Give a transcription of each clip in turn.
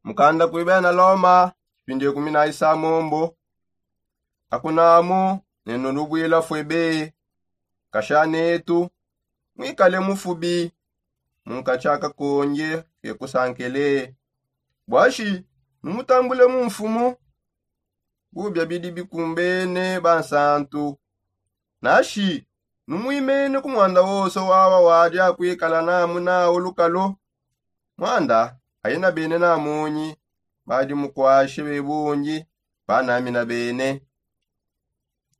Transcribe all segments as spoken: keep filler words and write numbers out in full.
Mukanda kuibena loma, kipindi ekumi na isamombo. Akunamu nenu lubwila fwebe. Kasha netu, mwikale mufubi munkachi akakonje kekusankele. Bwashi numutambule mu mfumu? Bubia bidi bikumbene bansantu. Nashi numwimene ku mwanda wose wawa wadi akwikala namu nawu lukalo? Mwanda ayi na bene namonyi badi mukwashe bebungi banami na bene.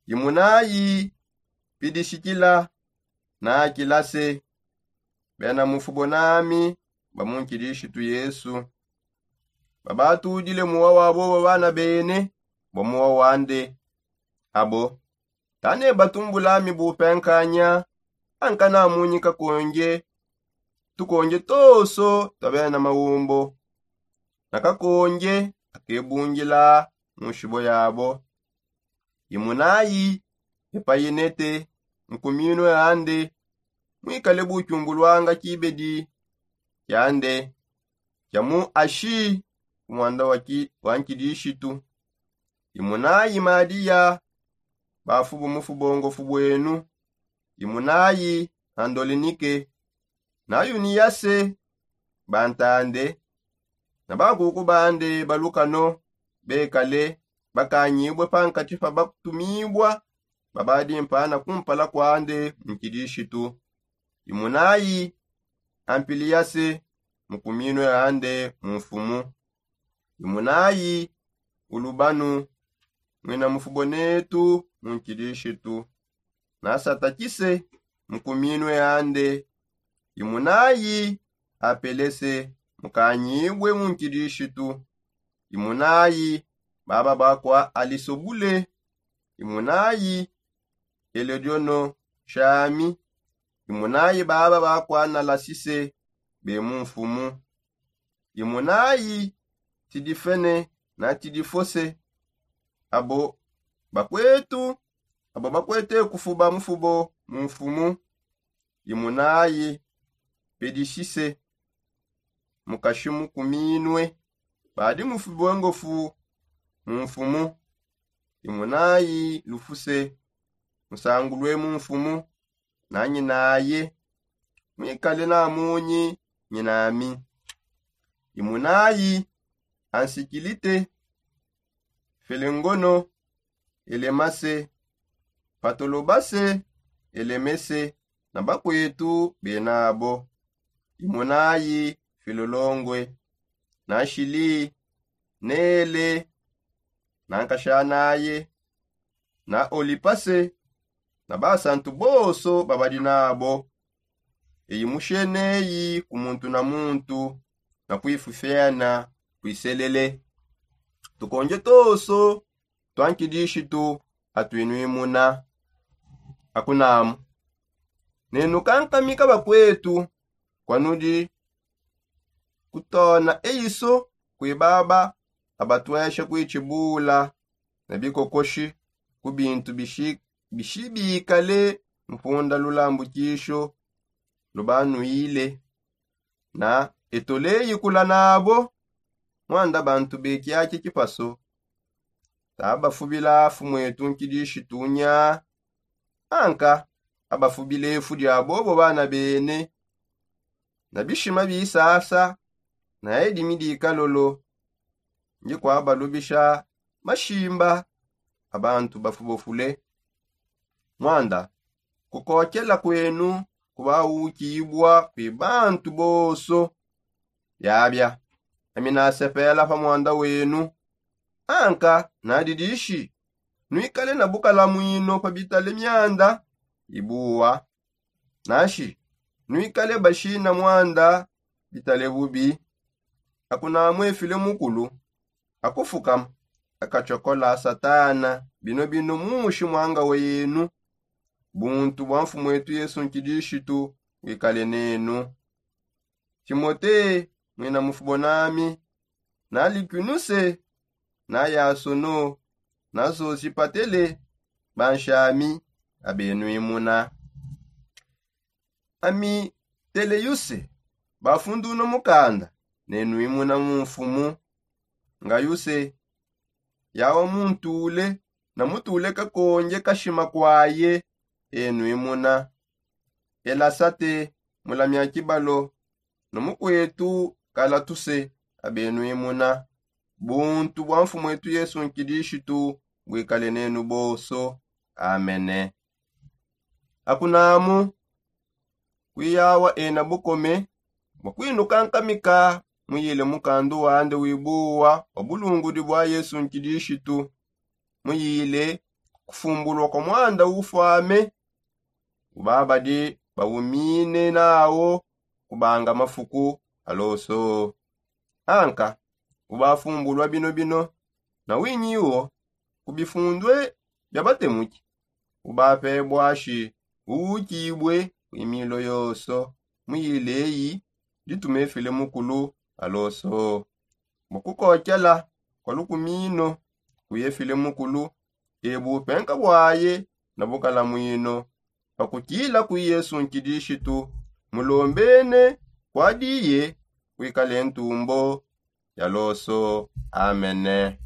Imunayi pidishikila na akilase, bena mufubo nami ba mu nkidishitu yesu. Babatudile muwa wabo babana bene bwa muwa wande. Abo tane batumbulami bupenkanya. Anka namunyika konje tukonje toso twabena mawumbo na kakonje akebungila mu nshibo yabo. Imunayi epayinete nkuminwe ande mwikale bucumbulwanga kibedi kiande kia mu ashi ku mwanda wa nkidishitu. Imunayi madiya bafubu mufubongofu bwenu. Imunayi andolinike na yuniyase bantande na bakuku bande balukano bekale bakanyibue pankati pa bakutumibua babadi mpana kumpala kwande mu nkidishitu. Imunayi ampiliyase mukuminwe ande mu mfumu. Imunayi ulubanu mwina mufubo netu mu nkidishitu nasatakise mukuminwe ande. Imunayi apelese mukanyibue mu nkidishitu. Imunayi baba bakwa alisobule. Imunayi elodiono shami. Imunayi baba bakwa nalasise be mu mfumu. Imunayi tidifene na tidifose abo bakwetu abo bakwete kufuba mufubo mu mfumu. Imunayi pedishise mukashi mukuminwe badi mufubongofu mu mfumu. Imunayi lufuse musangulwe mu mfumu na nyinaye mwikale namunyi nyinami. Imunayi ansikilite felengono elemase patolobase elemese na bakwetu benabo. Imunayi filolongwe na shili nele na nkashanaye na olipase na basantu bonso babadi nabo. Eyi musheneyi ku muntu na muntu na kwifufena kwiselele. Tukonje tonso twa nkidishitu atwinwimuna. Akunamu nenu kankamika bakwetu kwanudi kutona eiso kwi baba abatwesha kwitshibula na bikokoshi ku bintu bishibikale mpunda lulambukisho lubanwile na etoleyikula nabo. Mwanda bantu bekiaki kipaso tabafubila fumwetu nkidishitunya anka abafubila efu dia bobo bana bene na bishima bisasa na edimi dikalolo. Ndi kwabalubisha mashimba a bantu bafubofule. Mwanda kukokela kwenu kubawukibua kwi bantu bonso. Biabia ami nasepela pa mwanda wenu. Anka nadidishi nwikale na bukalamwino pa bitale mianda ibuwa nashi nwikale bashina mwanda bitale bubi. Akunamwefile mukulu akufukama akatshokola satana bino bino mushi mwanga wa yenu. Buntu bwa mfumwetu yesu nkidishitu wikale nenu. Timote mwina mufubo nami na likunuse na yasono na sosipatele banshami abenwimuna. Ami teleyuse bafunduna mukanda nenwimuna mu mfumu. ngayuse yawa muntule na mutule kakonje kashima kwaye. Enwimuna elasate mulamia kibalo na mukwetu kalatuse abenwimuna. Buntu bwa mfumwetu yesu nkilishitu bwikale nenu bonso. Amene. Akunamu kwiyawa ena bukome bwa kwinukankamika muyile mukandu wande wibuwa wa bulungudi bwa yesu nkilishitu. Muyile kufumbulwa kwa mwanda ufwame ubabadi bawumine nawo kubanga mafuku aloso. Anka ubafumbulwa bino bino na winyiwo ku bifundwe bya batemuki ubapebwashi uwukibwe kwimilo yoso. Muyile eyi ditumefile mukulu aloso bwa kukokela kwa lukumino kuyefile mukulu ebu penka bwaye na bukalamwino. Pakutila kwi yesu nkilishitu mulombene kwadiye kwikale ntumbo ya loso. Amene.